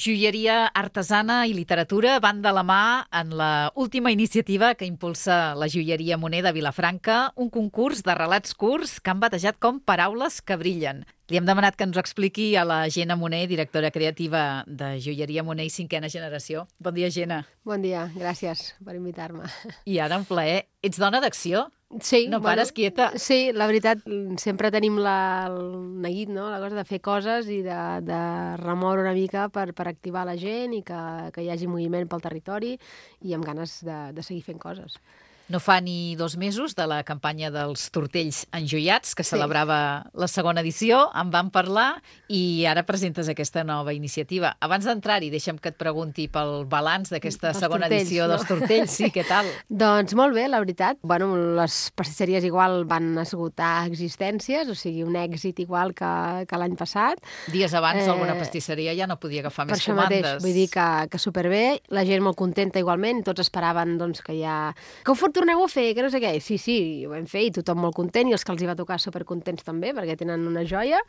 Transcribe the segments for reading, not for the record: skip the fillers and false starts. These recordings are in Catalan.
Joieria artesana i literatura van de la mà en la última iniciativa que impulsa la Joieria Moner de Vilafranca, un concurs de relats curts que han batejat com Paraules que brillen. Li hem demanat que ens ho expliqui a la Gemma Moner, directora creativa de Joieria Moner i cinquena generació. Bon dia, Gemma. Bon dia, gràcies per invitar-me. I ara, un plaer. Ets dona d'acció? Sí, no pares quieta. Sí, la veritat, sempre tenim el neguit, no? La cosa de fer coses i de remoure una mica per activar la gent i que hi hagi moviment pel territori i amb ganes de seguir fent coses. No fa ni 2 mesos de la campanya dels tortells enjoiats, que celebrava la segona edició, en vam parlar i ara presentes aquesta nova iniciativa. Abans d'entrar-hi, deixa'm que et pregunti pel balanç d'aquesta segona edició dels tortells. Sí, què tal? Doncs molt bé, la veritat. Bueno, les pastisseries igual van esgotar existències, o sigui, un èxit igual que l'any passat. Dies abans alguna pastisseria ja no podia agafar més comandes. Per això mateix, vull dir que superbé, la gent molt contenta igualment, tots esperaven doncs, que ho torneu a fer, que no sé què. Sí, ho vam fer i tothom molt content i els que els hi va tocar supercontents també perquè tenen una joia.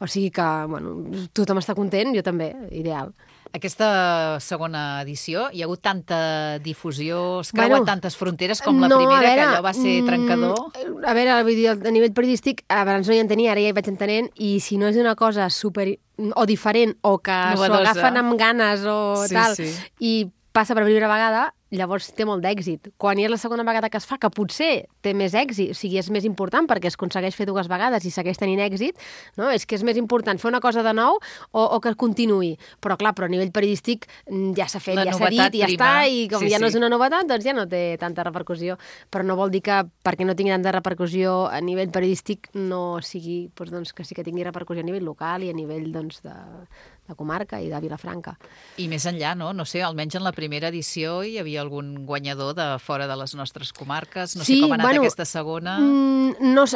O sigui que, bueno, tothom està content, jo també, ideal. Aquesta segona edició, hi ha hagut tanta difusió, es creuen tantes fronteres com la primera, que allò va ser trencador? A veure, vull dir, a nivell periodístic, abans no hi entenia, ara ja hi vaig entenent, i si no és una cosa super o diferent o que s'ho agafen amb ganes o tal, i passa per primera vegada, llavors té molt d'èxit. Quan hi és la segona vegada que es fa, que potser té més èxit, o sigui, és més important perquè es aconsegueix fer 2 vegades i segueix tenint èxit, no? És que és més important fer una cosa de nou o que continuï. Però clar, a nivell periodístic ja s'ha fet, ja s'ha dit, ja està, i com ja no és una novetat, doncs ja no té tanta repercussió. Però no vol dir que perquè no tingui tanta repercussió a nivell periodístic no sigui, doncs, que sí que tingui repercussió a nivell local i a nivell doncs, de comarca i de Vilafranca. I més enllà, no? No sé, almenys en la primera edició hi havia algun guanyador de fora de les nostres comarques? No sé com ha anat aquesta segona.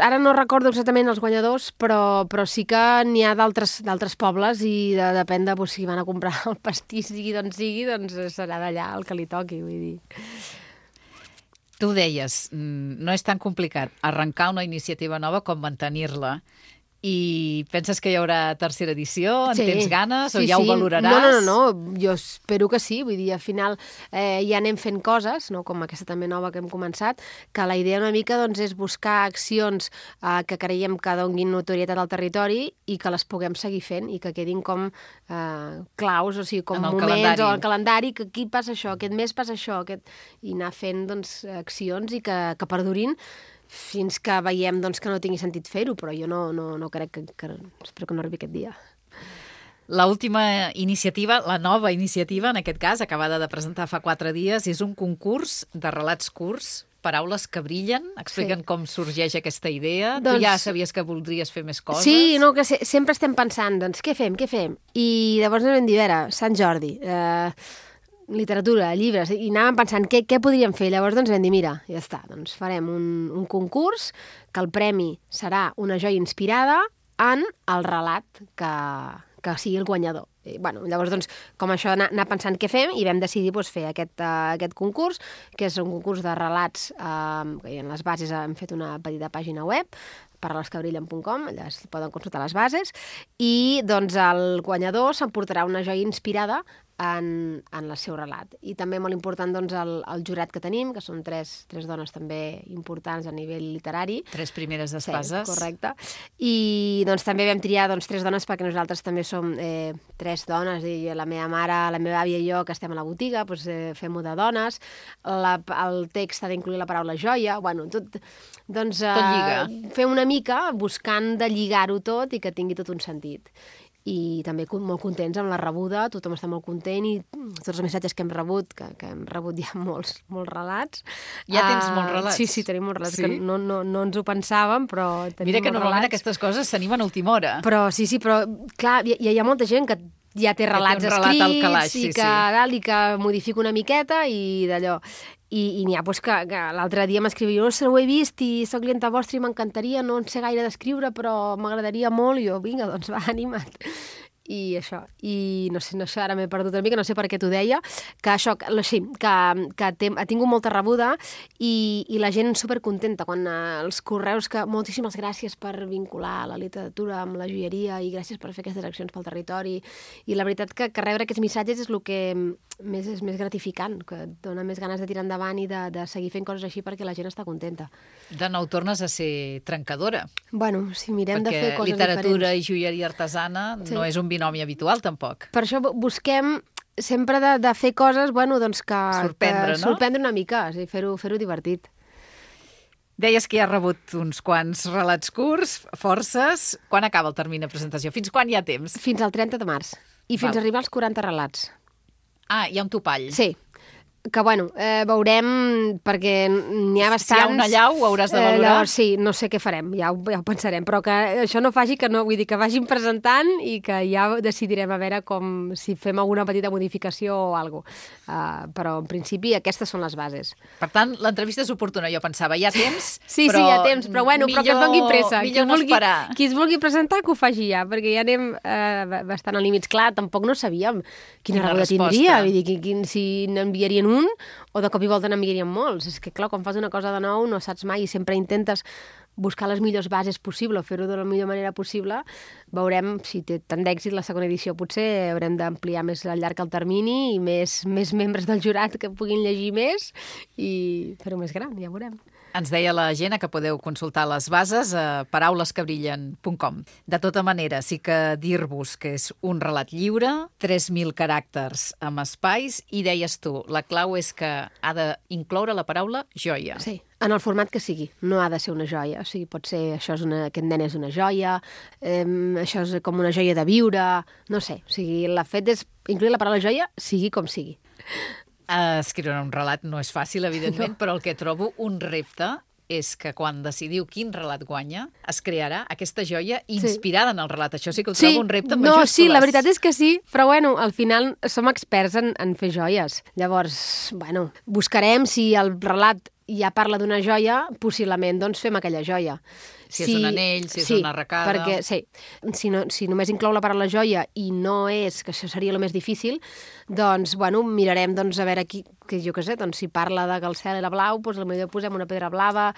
Ara no recordo exactament els guanyadors, però sí que n'hi ha d'altres pobles i depèn de si van a comprar el pastís, sigui d'on sigui, doncs serà d'allà el que li toqui, vull dir. Tu deies, no és tan complicat arrencar una iniciativa nova com mantenir-la. I penses que hi haurà tercera edició? En tens ganes? O ja ho valoraràs? No, jo espero que sí. Vull dir, al final ja anem fent coses, no? Com aquesta també nova que hem començat, que la idea una mica doncs, és buscar accions que creiem que donguin notorietat al territori i que les puguem seguir fent i que quedin com claus, o sigui, com moments o al calendari, que aquí passa això, aquest mes passa això, i anar fent doncs, accions i que perdurin fins que veiem doncs, que no tingui sentit fer-ho, però jo no crec que espero que no arribi aquest dia. L'última iniciativa, la nova iniciativa, en aquest cas, acabada de presentar fa 4 dies, és un concurs de relats curts, Paraules que brillen. Explica'm com sorgeix aquesta idea. Tu ja sabies que voldries fer més coses? Sí, no, que sempre estem pensant, doncs, què fem? I llavors vam dir, a veure, Sant Jordi, literatura, llibres, i anàvem pensant què podríem fer. Llavors doncs vam dir, mira, ja està, doncs farem un concurs que el premi serà una joia inspirada en el relat que sigui el guanyador. Llavors, doncs, com això, anar pensant què fem i vam decidir fer aquest concurs, que és un concurs de relats, que en les bases hem fet una petita pàgina web, paraules-que-brillen.com, allà es poden consultar les bases, i doncs el guanyador s'emportarà una joia inspirada en el seu relat. I també molt important doncs, el jurat que tenim, que són 3 dones també importants a nivell literari. 3 primeres espases. Sí, correcte. I doncs, també vam triar 3 dones perquè nosaltres també som 3 dones, i la meva mare, la meva àvia i jo, que estem a la botiga, doncs, fem-ho de dones. El text ha d'incluir la paraula joia. Tot lliga. Fem una mica buscant de lligar-ho tot i que tingui tot un sentit. I també molt contents amb la rebuda, tothom està molt content i tots els missatges que hem rebut, que hem rebut ja molts relats. Ja tens molts relats? Sí, tenim molts relats, que no ens ho pensàvem, però tenim molts relats. Mira que normalment aquestes coses s'animen a última hora. Però clar, hi ha molta gent que ja té relats escrits i que modifica una miqueta i d'allò. I n'hi ha que l'altre dia m'escrivia, no sé, ho he vist i soc clienta vostra i m'encantaria, no en sé gaire d'escriure, però m'agradaria molt, i jo, vinga, doncs va, anima't. I això, i no sé, ara m'he perdut una mica, no sé per què t'ho deia, que això, sí, que ha tingut molta rebuda i la gent supercontenta quan els correus que moltíssimes gràcies per vincular la literatura amb la joieria i gràcies per fer aquestes accions pel territori, i la veritat que rebre aquests missatges és el que és més gratificant, que et dona més ganes de tirar endavant i de seguir fent coses així perquè la gent està contenta. De nou tornes a ser trencadora. Bueno, si mirem de fer coses literatura diferents. I joieria artesana no és un binomi habitual, tampoc. Per això busquem sempre de fer coses, bueno, doncs que sorprendre una mica, sí, fer-ho divertit. Deies que ja has rebut uns quants relats curts, forces. Quan acaba el termini de presentació? Fins quan hi ha temps? Fins al 30 de març. I fins a arribar als 40 relats. Ah, hi ha un topall. Sí. Que, bueno, veurem, perquè n'hi ha bastants... Si hi ha una llau, ho hauràs de valorar. Sí, no sé què farem, ja ho pensarem, però que això no faci que no, vull dir, que vagin presentant i que ja decidirem a veure si fem alguna petita modificació o alguna cosa. Però, en principi, aquestes són les bases. Per tant, l'entrevista és oportuna. Jo pensava, hi ha temps, sí, hi ha temps, però bueno, però que es doni pressa. Millor no esperar. Qui es vulgui presentar, que ho faci ja, perquè ja anem bastant a límits. Clar, tampoc no sabíem quina rebuda tindria, vull dir, si n'enviarien o de cop i volta n'enviarien molts. És que, clar, quan fas una cosa de nou no saps mai i sempre intentes buscar les millors bases possible, fer-ho de la millor manera possible. Veurem si té tant d'èxit la segona edició. Potser haurem d'ampliar més al llarg el termini i més membres del jurat que puguin llegir més i fer-ho més gran, ja veurem. Ens deia la Gemma que podeu consultar les bases a paraulesquebrillen.com. De tota manera, sí que dir-vos que és un relat lliure, 3.000 caràcters amb espais, i deies tu, la clau és que ha d'incloure la paraula joia. Sí, en el format que sigui. No ha de ser una joia. O sigui, pot ser, aquest nen és una joia, això és com una joia de viure, no sé. O sigui, el fet és incloure la paraula joia, sigui com sigui. Escriure un relat no és fàcil, evidentment, però el que trobo un repte és que quan decidiu quin relat guanya, es crearà aquesta joia inspirada en el relat. Això sí que ho trobo un repte amb majúscules. Sí, la veritat és que sí, però bueno, al final som experts en fer joies. Llavors, bueno, buscarem si el relat ja parla d'una joia, possiblement doncs fem aquella joia. Si és un anell, si és una arracada... Perquè, si només inclou la paraula joia i no és, que això seria el més difícil, doncs, bueno, mirarem doncs, a veure aquí, que jo què sé, doncs, si parla de que el cel era blau, doncs potser posem una pedra blava,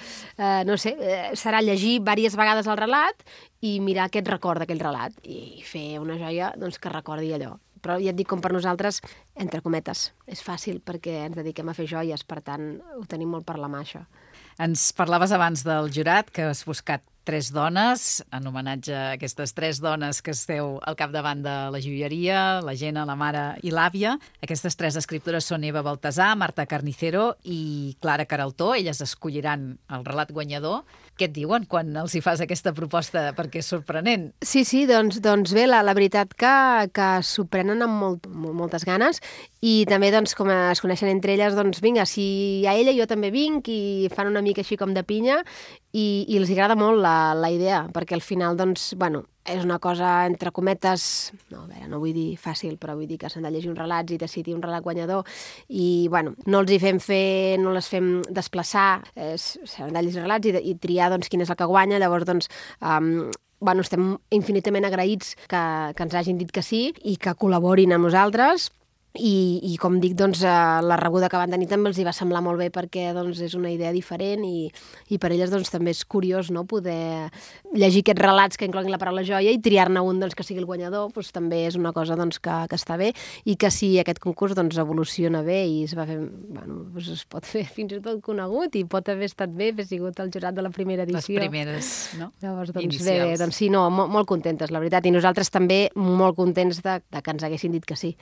no sé, serà llegir diverses vegades el relat i mirar què et recorda aquell relat i fer una joia doncs, que recordi allò. Però ja et dic, com per nosaltres, entre cometes, és fàcil perquè ens dediquem a fer joies, per tant, ho tenim molt per la mà, això. Ens parlaves abans del jurat, que has buscat 3 dones, en homenatge a aquestes 3 dones que esteu al capdavant de la joieria, la Gemma, la mare i l'àvia. Aquestes 3 escriptores són Eva Baltasar, Marta Carnicero i Clara Queraltó. Elles escolliran el relat guanyador. Què et diuen quan els hi fas aquesta proposta? Perquè és sorprenent. Sí, doncs bé, la veritat que s'ho prenen amb moltes ganes i també, doncs, com es coneixen entre elles, doncs vinga, si hi ha ella, jo també vinc, i fan una mica així com de pinya i els agrada molt la idea, perquè al final, doncs, bueno, és una cosa, entre cometes, no vull dir fàcil, però vull dir que s'han de llegir uns relats i decidir un relat guanyador i, bueno, no els hi no les fem desplaçar, s'han de llegir relats i triar, doncs, quin és el que guanya. Llavors, doncs, bueno, estem infinitament agraïts que ens hagin dit que sí i que col·laborin amb nosaltres. I com dic, doncs, la rebuda que van tenir també els hi va semblar molt bé perquè doncs, és una idea diferent i per elles doncs, també és curiós, no?, poder llegir aquests relats que incloguin la paraula joia i triar-ne un doncs, que sigui el guanyador, doncs, també és una cosa doncs, que està bé i que si aquest concurs doncs, evoluciona bé i es va fer, bueno, doncs, es pot fer fins i tot conegut i pot haver estat bé, haver sigut el jurat de la primera edició. Les primeres, no? Llavors, doncs, bé, doncs sí, no, molt contentes, la veritat, i nosaltres també molt contents de que ens haguessin dit que sí.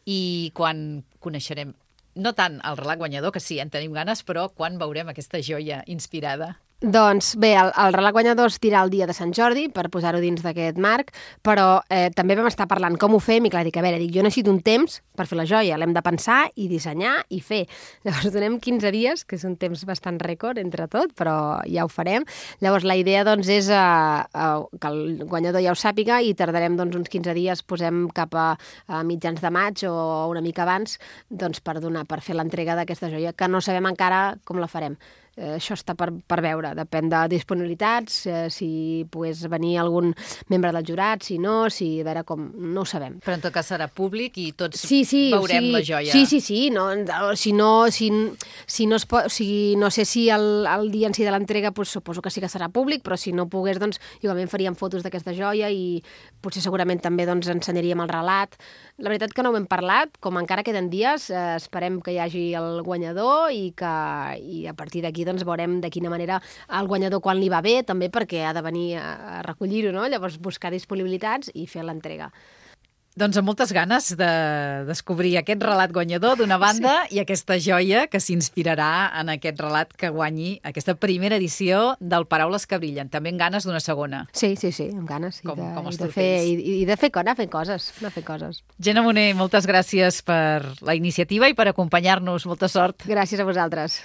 I quan coneixerem, no tant el relat guanyador, que sí, en tenim ganes, però quan veurem aquesta joia inspirada? Doncs bé, el relat guanyador es dirà el dia de Sant Jordi, per posar-ho dins d'aquest marc, però també vam estar parlant com ho fem, i clar, dic, a veure, jo necessito un temps per fer la joia, l'hem de pensar i dissenyar i fer. Llavors donem 15 dies, que és un temps bastant rècord entre tot, però ja ho farem. Llavors la idea doncs és que el guanyador ja ho sàpiga i tardarem doncs, uns 15 dies, posem cap a mitjans de maig o una mica abans, doncs, per fer l'entrega d'aquesta joia, que no sabem encara com la farem. això està per veure. Depèn de disponibilitats, si pogués venir algun membre del jurat, si no, a veure com... No ho sabem. Però en tot cas serà públic i tots veurem la joia. Sí. No sé si el dia en si de l'entrega suposo que sí que serà públic, però si no pogués, doncs, igualment faríem fotos d'aquesta joia i potser segurament també ensenyaríem el relat. La veritat que no ho hem parlat, com encara queden dies, esperem que hi hagi el guanyador i a partir d'aquí veurem de quina manera el guanyador quan li va bé, també perquè ha de venir a recollir-ho, no? Llavors buscar disponibilitats i fer l'entrega. Doncs amb moltes ganes de descobrir aquest relat guanyador d'una banda i aquesta joia que s'inspirarà en aquest relat que guanyi aquesta primera edició del Paraules que brillen. També amb ganes d'una segona. Sí, amb ganes. Com els I de fer coses. Jenna Moner, moltes gràcies per la iniciativa i per acompanyar-nos. Molta sort. Gràcies a vosaltres.